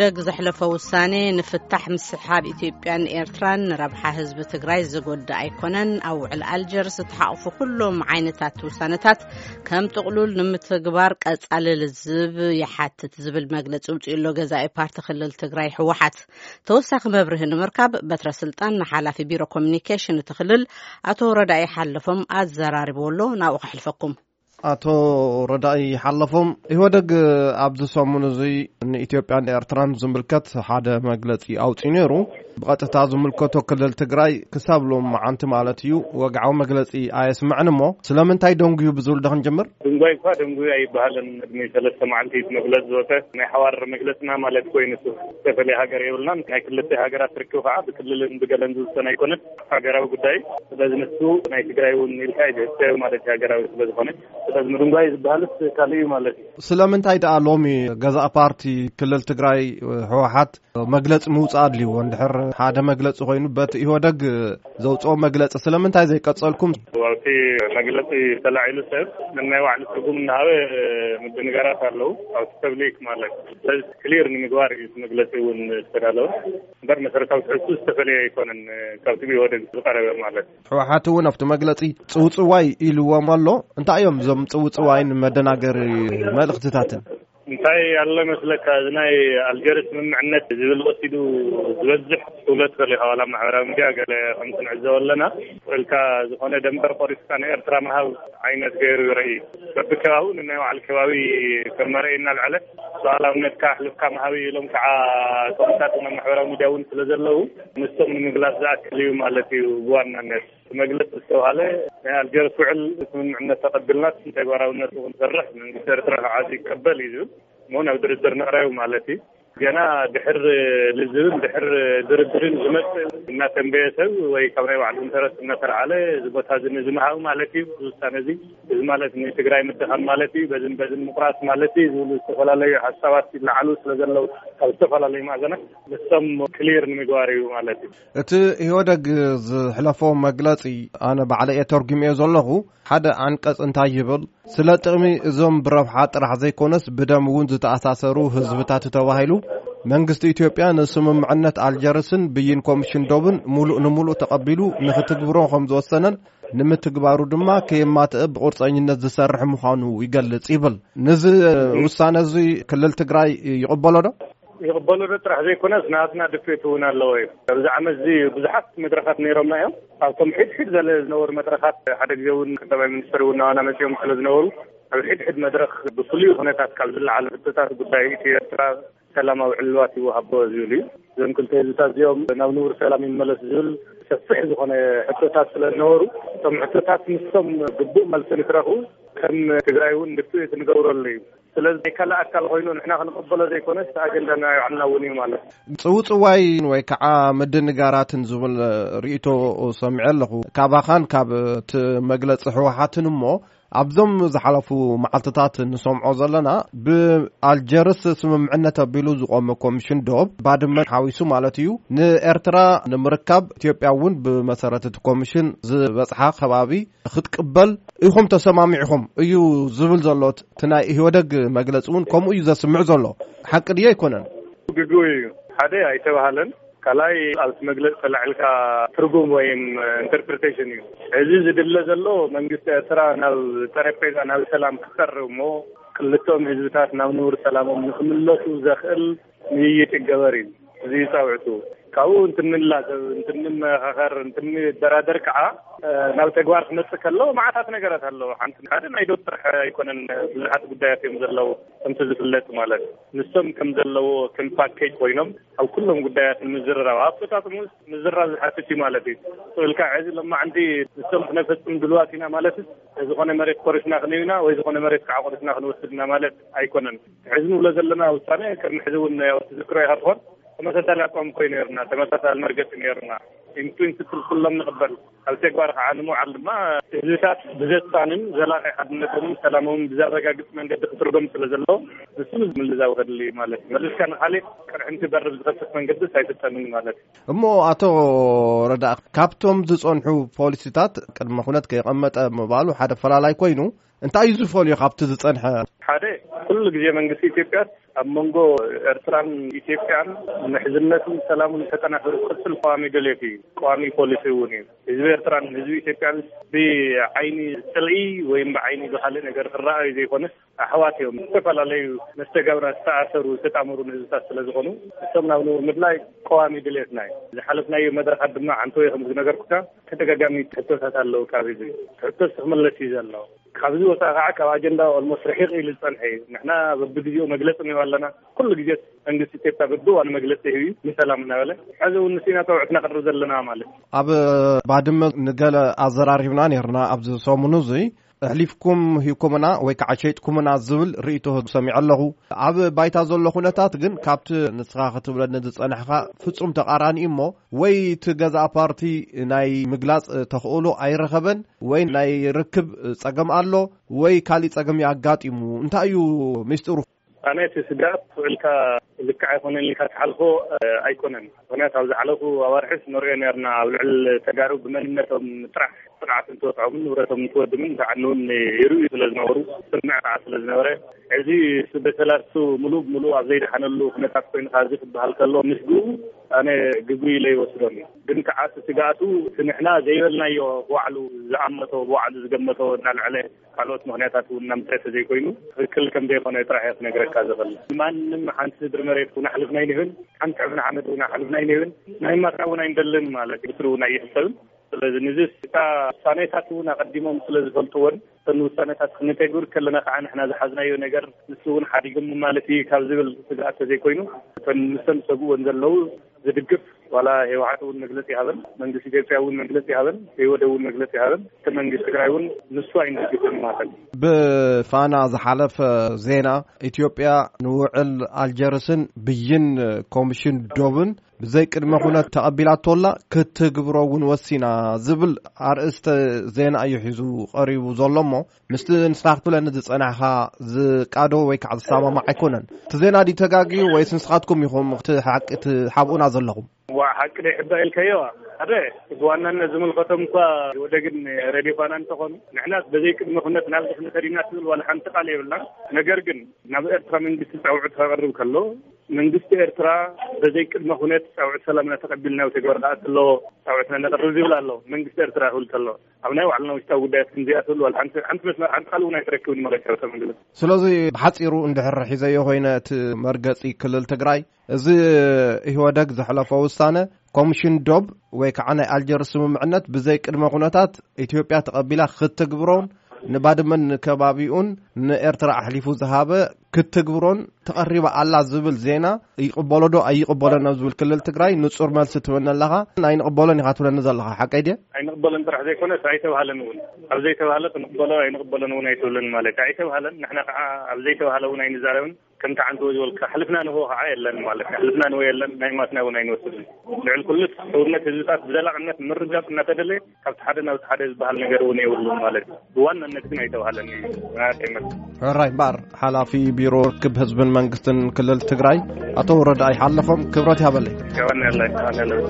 ደግ ዘሕለፎ ውሳኔ ንፍታሕ ምስሓብ ኢትዮጵያን ኤርትራን ንረብሓ ህዝቢ ትግራይ ዝጎድእ ኣይኮነን። ኣብ ውዕል ኣልጀርስ ዝተሓቑፉ ኩሎም ዓይነታት ውሳነታት ከም ጥቕሉል ንምትግባር ቀጻሊ ልዝብ ይሓትት ዝብል መግለጺ ውፅኡ ኣሎ ገዛኢ ፓርቲ ክልል ትግራይ ህወሓት። ተወሳኺ መብርሂ ንምርካብ በትረ ስልጣን ንሓላፊ ቢሮ ኮሚኒኬሽን እቲ ክልል ኣቶ ረዳኢ ሓለፎም ኣዘራሪብዎ ኣሎ። ናብኡ ከሕልፈኩም። ኣቶ ረዳኢ ሓለፎም፣ ኢህወደግ ኣብዚ ሰሙን እዚ ንኢትዮጵያን ኤርትራን ዝምልከት ሓደ መግለጺ ኣውጺኡ ነይሩ። ብቐጥታ ዝምልከቶ ክልል ትግራይ ክሳብ ሎም መዓንቲ ማለት እዩ ወግዓዊ መግለጺ ኣየስምዕን። እሞ ስለምንታይ ደንጉዩ ብዝብል ዶ ክንጅምር? ድንጓይ እኳ ደንጉዩ ኣይበሃልን። ቅድሚ ሰለስተ መዓልቲ እቲ መግለጺ ዝወፀ ናይ ሓዋር መግለጽና ማለት ኮይኑ፣ ዝተፈለየ ሃገር የብልናን። ናይ ክልተ ሃገራት ርክብ ከዓ ብክልልን ብገለን ዝውሰን ኣይኮነን። ሃገራዊ ጉዳይ ስለዚ ንሱ ናይ ትግራይ እውን ኢልካ እዩ ዝሕሰብ ማለት እዩ፣ ሃገራዊ ስለዝኾነ። ስለዚ ምድንጓይ ዝበሃልስ ካልእ እዩ ማለት እዩ። ስለምንታይ ደኣ ሎሚ ገዛእ ፓርቲ ክልል ትግራይ ህወሓት መግለጺ ምውጻእ ኣድልይዎ? እንድሕር ሓደ መግለጺ ኮይኑ በቲ ኢህወደግ ዘውጽኦ መግለጺ ስለምንታይ ዘይቀጸልኩም? ኣብቲ መግለጺ ተላዒሉ ሰብ ነናይ ባዕሉ ትርጉም እናሃበ ምድንጋራት ኣለዉ። ኣብቲ ፐብሊክ ማለት ስለዚ ክሊር ንምግባር እዩ እቲ መግለጺ እውን ዝተዳለወ። እምበር መሰረታዊ ትሕዝቱ ዝተፈለየ ኣይኮነን ካብቲ ብኢህወደግ ዝቐረበ ማለት። ህወሓት እውን ኣብቲ መግለጺ ጽውጽዋይ ኢልዎም ኣሎ። እንታይ እዮም እዞም ጽውጽዋይን መደናገሪ መልእኽትታትን? እንታይ ኣሎ መስለካ፣ እዚ ናይ ኣልጀርስ ስምምዕነት ዝብል ወሲዱ ዝበዝሕ ትውለት ከሎ ኢኻ፣ ዋላ ማሕበራዊ ሚድያ ገለ ከምቲ ንዕዘቦ ኣለና። ወልካ ዝኾነ ደንበር ቆሪስካ ንኤርትራ ምሃብ ዓይነት ገይሩ ይርኢ። በብከባቢኡ ንናይ ባዕሉ ከባቢ ከም መርኣይ እናልዓለ ሉዓላውነትካ ኣሕልፍካ ምሃብ እዩ ኢሎም ከዓ ከምታት ናብ ማሕበራዊ ሚድያ እውን ስለ ዘለዉ፣ ንሶም ንምግላፅ ዝኣክል እዩ ማለት እዩ። ብዋናነት መግለፂ ዝተባሃለ ናይ ኣልጀርስ ውዕል ስምምዕነት ተቐቢልና ተግባራውነቱ ክንሰርሕ መንግስቲ ኤርትራ ከዓ ይቀበል እዩ ዝብል እሞ ናብ ድርድር ንቕረብ ማለት እዩ። ገና ድሕር ልዝብን ድሕር ድርድርን ዝመፅእ እናተንበየ ሰብ ወይ ካብ ናይ ባዕሉ ኢንተረስት እናተልዓለ እዚ ቦታ እዚ ንዝምሃብ ማለት እዩ። እዚ ውሳነ እዚ እዚ ማለት ንትግራይ ምድኻም ማለት እዩ፣ በዝን በዝን ምቁራፅ ማለት እዩ ዝብሉ ዝተፈላለዩ ሓሳባት ይለዓሉ ስለ ዘለዉ ካብ ዝተፈላለዩ ማዕዘናት ንሶም ክሊር ንምግባር እዩ ማለት እዩ። እቲ ኢህወደግ ዝሕለፎ መግለጺ ኣነ ባዕለ እየ ተርጉምዮ ዘለኹ። ሓደ ዓንቀጽ እንታይ ይብል? ስለ ጥቕሚ እዞም ብረብሓ ጥራሕ ዘይኮነስ ብደም እውን ዝተኣሳሰሩ ህዝብታት ተባሂሉ መንግስቲ ኢትዮጵያ ንስምምዕነት ኣልጀርስን ብይን ኮሚሽን ዶብን ሙሉእ ንሙሉእ ተቐቢሉ ንክትግብሮ ከም ዝወሰነን ንምትግባሩ ድማ ከየማትእ ብቁርፀኝነት ዝሰርሕ ምዃኑ ይገልጽ ይብል። ነዚ ውሳነ እዚ ክልል ትግራይ ይቕበሎ ዶ? ይቕበሎ ዶ ጥራሕ ዘይኮነስ ናትና ድፍኢት እውን ኣለዎ እዩ። ኣብዚ ዓመት እዚ ብዙሓት መድረኻት ነይሮምና እዮም። ኣብቶም ሕድሕድ ዘለ ዝነበሩ መድረኻት ሓደ ግዜ እውን ቀዳማይ ሚኒስትር እውን ናባና መፂኦም ስለ ዝነበሩ ኣብ ሕድሕድ መድረኽ ብፍሉይ ኩነታት ካብ ዝለዓሉ ሕቶታት ጉዳይ ኢትዮ ኤርትራ ሰላማዊ ዕልዋት ይወሃቦ ዝብል እዩ። እዞም ክልተ ህዝብታት እዚኦም ናብ ንቡር ሰላም ይመለስ ዝብል ሰፊሕ ዝኾነ ሕቶታት ስለ ዝነበሩ እቶም ሕቶታት ንሶም ግቡእ መልሲ ንክረኽቡ ከም ትግራይ እውን ድፍኢት ንገብረሉ እዩ። ስለዚ ናይ ካልእ ኣካል ኮይኑ ንሕና ክንቕበሎ ዘይኮነስ ኣጀንዳ ናይ ባዕልና እውን እዩ ማለት እዩ። ጽውጽዋይ ወይ ከዓ ምድንጋራትን ዝብል ርእይቶ ሰሚዐ ኣለኹ ካባኻን ካብ እቲ መግለጺ ህወሓትን። እሞ ኣብዞም ዝሓለፉ መዓልትታት ንሰምዖ ዘለና ብኣልጀርስ ስምምዕነት ኣቢሉ ዝቆመ ኮሚሽን ዶብ ባድመ ሓዊሱ ማለት እዩ ንኤርትራ ንምርካብ ኢትዮጵያ እውን ብመሰረት እቲ ኮሚሽን ዝበጽሓ ከባቢ ክትቅበል ኢኹም ተሰማሚዕኹም እዩ ዝብል ዘሎ። እቲ ናይ ኢህወደግ መግለጺ እውን ከምኡ እዩ ዘስምዕ ዘሎ። ሓቂ ድዩ ኣይኮነን? ግጉ እዩ። ሓደ ኣይተባሃለን። ካልኣይ ኣብቲ መግለጺ ተላዒልካ ትርጉም ወይም ኢንተርፕሪቴሽን እዩ። እዚ ዝድለ ዘሎ መንግስቲ ኤርትራ ናብ ጠረጴዛ ናብ ሰላም ክቀርብ እሞ ክልቶም ህዝብታት ናብ ንቡር ሰላሞም ንክምለሱ ዘኽእል ምይይጥ ይገበር እዩ። እዚ ፃውዕቱ ካብኡ እንትንላዘብ እንትንመኻኸር እንትንደራደር ከዓ ናብ ተግባር ክመፅእ ከሎ መዓታት ነገራት ኣለዎ። ሓንቲ ሓደ ናይ ዶብ ጥራሕ ኣይኮነን፣ ብዙሓት ጉዳያት እዮም ዘለዉ ከምቲ ዝፍለጥ ማለት ንሶም ከም ዘለዎ ከም ፓኬጅ ኮይኖም ኣብ ኩሎም ጉዳያት ንምዝርራብ ኣፈፃፅሙ ምዝራብ ዝሓትት እዩ ማለት እዩ። ስእልካ ሕዚ ሎማዓንቲ ንሶም ክነፈፅም ድልዋት ኢና ማለት ዝኾነ መሬት ቆሪስና ክንህብና ወይ ዝኾነ መሬት ከዓ ቆሪስና ክንወስድና ማለት ኣይኮነን። ሕዚ ንብሎ ዘለና ውሳነ ቅድሚ ሕዚ እውን ያው ትዝክሮ ኢኻ ትኾን ተመሳሳሊ ኣቋም ኮይኑ ነርና፣ ተመሳሳሊ መርገፂ ነርና። ኢንፕሪንስፕል ኩሎም ንቕበል ኣብ ተግባር ከዓ ንምውዓል ድማ ህዝብታት ብዘሳንን ዘላቂ ሓድነቶምን ሰላሞምን ብዘረጋግፅ መንገዲ ክትርጎም ስለ ዘለዎ ንሱ ምልዛው ከድሊ ማለት እዩ። መሊስካ ንካሊእ ቅርሕንቲ በርብ ዝኸፍት መንገድስ ኣይፍጠንን ማለት እዩ። እሞ ኣቶ ረዳ ካብቶም ዝፀንሑ ፖሊሲታት ቅድመ ኩነት ከይቐመጠ ምባሉ ሓደ ፈላላይ ኮይኑ እንታይ እዩ ዝፈልዮ ካብቲ ዝጸንሐ? ሓደ፣ ኩሉ ግዜ መንግስቲ ኢትዮጵያ ኣብ መንጎ ኤርትራን ኢትዮጵያን ምሕዝነቱን ሰላሙን ተጠናኺሩ ክቕጽል ቀዋሚ ድሌት እዩ። ቀዋሚ ፖሊሲ እውን እዩ። ህዝቢ ኤርትራን ህዝቢ ኢትዮጵያን ብዓይኒ ጽልኢ ወይም ብዓይኒ ብኻልእ ነገር ክረኣዩ ዘይኮነስ፣ ኣሕዋት እዮም። ዝተፈላለዩ መስተጋብራት ዝተኣሰሩ ዝተጣመሩ ህዝብታት ስለ ዝኾኑ፣ እሶም ናብ ንቡር ምድላይ ቀዋሚ ድሌትና እዩ። ዝሓለፍናዮ መድረኻት ድማ ዓንተወይ ከም ዝነገርኩካ ተደጋጋሚ ሕቶታት ኣለዉ። ካብ ህዝቢ ሕቶስ ክምለስ እዩ ዘሎ። ካብዚ ወፃኢ ከዓ ካብ ኣጀንዳ ኦልሞስት ርሒቕ ኢሉ ዝፀንሐ እዩ። ንሕና በብግዜኡ መግለፂ ንህብ ኣለና። ኩሉ ግዜ መንግስቲ ኢትዮጵያ በብእዋኑ መግለፂ ይህብ እዩ፣ ንሰላም እናበለ። ሕዚ እውን ንስና ፀውዕትና ቅርብ ዘለና ማለት እዩ። ኣብ ባድመ ንገለ ኣዘራሪብና ነርና ኣብዚ ሰሙኑ እዚ። ኣሕሊፍኩም ሂብኩምና ወይ ከዓ ሸይጥኩምና ዝብል ርእይቶ ሰሚዐ ኣለኹ። ኣብ ባይታ ዘሎ ኩነታት ግን ካብቲ ንስኻ ክትብለኒ ዝጸናሕካ ፍጹም ተቓራኒ እሞ፣ ወይ እቲ ገዛእ ፓርቲ ናይ ምግላጽ ተኽእሎ ኣይረኸበን፣ ወይ ናይ ርክብ ጸገም ኣሎ፣ ወይ ካሊእ ጸገም እዩ ኣጋጢሙ። እንታይ እዩ ሚስጥሩ? ኣነ እቲ ስጋት ውዕልካ ልክዕ ኣይኮነን ኢልካ ትሓልፎ ኣይኮነን። ምክንያቱ ኣብ ዝሓለፉ ኣዋርሕስ ንሪኦ ነርና፣ ኣብ ልዕሊ ተጋሩ ብመንነቶም ጥራሕ ጥቕዓት እንትወፅዖምን ንብረቶም እንትወድምን ክዓንውን ይርእዩ ስለ ዝነበሩ፣ ስምዕ ከዓ ስለ ዝነበረ፣ እዚ በተላሱ ሙሉእ ብሙሉእ ኣብ ዘይደሓነሉ ኩነታት ኮይንካ እዚ ክበሃል ከሎ ምስግኡ ኣነ ግጉይ ኢለ ይወስዶን እዩ። ግን ከዓ እቲ ስግኣቱ እቲ ንሕና ዘይበልናዮ ብባዕሉ ዝኣመቶ ብባዕሉ ዝገመቶ እናልዐለ ካልኦት ምክንያታት እውን እናምፀ ተዘይኮይኑ ትክክል ከም ዘይኮነ ጥራሕ እየ ክነግረካ ዝኽእል። ማንም ሓንቲ ስድሪ መሬት እውን ኣሕልፍና ኣይንህብን፣ ሓንቲ ሕብሪ ሓመድ እውን ኣሕልፍና ኣይንህብን፣ ናይ ማትና እውን ኣይንደልን ማለት እዩ። ብስሩ እውን ኣይሕሰብን። ስለዚ ንዚ እታ ውሳኔታት እውን ኣቐዲሞም ስለ ዝፈልጥዎን እተን ውሳኔታት ክንተግብር ከለና ከዓ ንሕና ዝሓዝናዮ ነገር ንሱ እውን ሓዲጎም ማለት እዩ ካብ ዝብል ስግኣት ተዘይኮይኑ እተን ንሰን ዝሰግእዎን ዘለዉ ዝድግፍ ዋላ ህወሓት እውን መግለፂ ይሃበን፣ መንግስቲ ኢትዮጵያ እውን መግለፂ ይሃበን፣ ህወደ እውን መግለፂ ይሃበን፣ እቲ መንግስቲ ትግራይ እውን ንሱ ኣይንድግፍን ማለት እዩ። ብፋና ዝሓለፈ ዜና ኢትዮጵያ ንውዕል ኣልጀርስን ብይን ኮሚሽን ዶብን ብዘይ ቅድመ ኩነት ተቐቢላቶላ ክትግብሮ እውን ወሲና ዝብል ኣርእስተ ዜና እዩ ሒዙ ቀሪቡ ዘሎ እሞ ምስቲ ንስኻ ክትብለኒ ዝጸናሕካ ዝቃዶ ወይ ከዓ ዝሰማማዕ ኣይኮነን። እቲ ዜና ድዩ ተጋግዩ ወይስ ንስኻትኩም ኢኹም እቲ ሓቂ ትሓብኡና ዘለኹም? ዋ ሓቂ ዶ ይሕባእ ኢልካዮ? ሓደ ብዋናነት ዝምልከቶም እኳ ወደግን ሬድዮ ፋና እንተኾኑ ንሕናስ በዘይ ቅድመ ኩነት ናብ ድሕሪ ተሪና ትብል ዋላ ሓንቲ ቃል የብልና። ነገር ግን ናብ ኤርትራ መንግስቲ ጻውዕት ከቕርብ ከሎ መንግስቲ ኤርትራ በዘይ ቅድመ ኩነት ጻውዕት ሰላምና ተቐቢልና ተግባር ከኣት ኣለዎ ጻውዕትና ነቕርብ ዝብል ኣሎ። መንግስቲ ኤርትራ ክብል ከሎ ኣብ ናይ ባዕልና ውሽጣዊ ጉዳያት ክንዚኣ ትብል ዋላ ሓንቲ ሓንቲ መስመር ሓንቲ ቃል እውን ኣይትረክብን ማለት እዩ። ተመግለጽ ስለዚ ብሓጺሩ እንድሕር ሒዘዮ ኮይነ እቲ መርገጺ ክልል ትግራይ እዚ ኢህወደግ ዘሕለፎ ውሳነ ኮሚሽን ዶብ ወይ ከዓ ናይ ኣልጀርስ ስምምዕነት ብዘይ ቅድመ ኩነታት ኢትዮጵያ ተቐቢላ ክትግብሮን ንባድመን ንከባቢኡን ንኤርትራ ኣሕሊፉ ዝሃበ ክትግብሮን ተቐሪባ ኣላ ዝብል ዜና ይቕበሎ ዶ ኣይቕበሎን ኣብ ዝብል ክልል ትግራይ ንጹር መልሲ ትበኒ ኣለኻ። ኣይንቕበሎን ኢኻ ትብለኒ ዘለኻ ሓቀይ ድየ? ኣይንቕበሎን ጥራሕ ዘይኮነስ ኣይተባህለን እውን። ኣብ ዘይተባህለ ክንቕበሎ ኣይንቕበሎን እውን ኣይትብልን ማለት እዩ። ኣይተባህለን ንሕና ከዓ ኣብ ዘይተባህለ እውን ኣይንዛረብን። ከምቲ ዓንተወ ዝበልካ ሕልፍና ንሆ ከዓ የለን ማለት እዩ። ሕልፍና ንሆ የለን፣ ናይ ማትና እውን ኣይንወስድን። ልዕሊ ኩሉ ሕውነት ህዝብታት ብዘላቕነት ምርጋፅ እናተደለየ ካብቲ ሓደ ናብቲ ሓደ ዝበሃል ነገር እውን የብሉን ማለት እዩ። ብዋናነት ግን ኣይተባህለን እዩ። ናተይ መልሲ። ሕራይ እምበኣር ሓላፊ ቢሮ ርክብ ህዝብን መንግስትን ክልል ትግራይ ኣቶ ረዳኢ ሓለፎም ክብረት ይሃበለይ። የቐንየለይ፣ የቐንየለይ።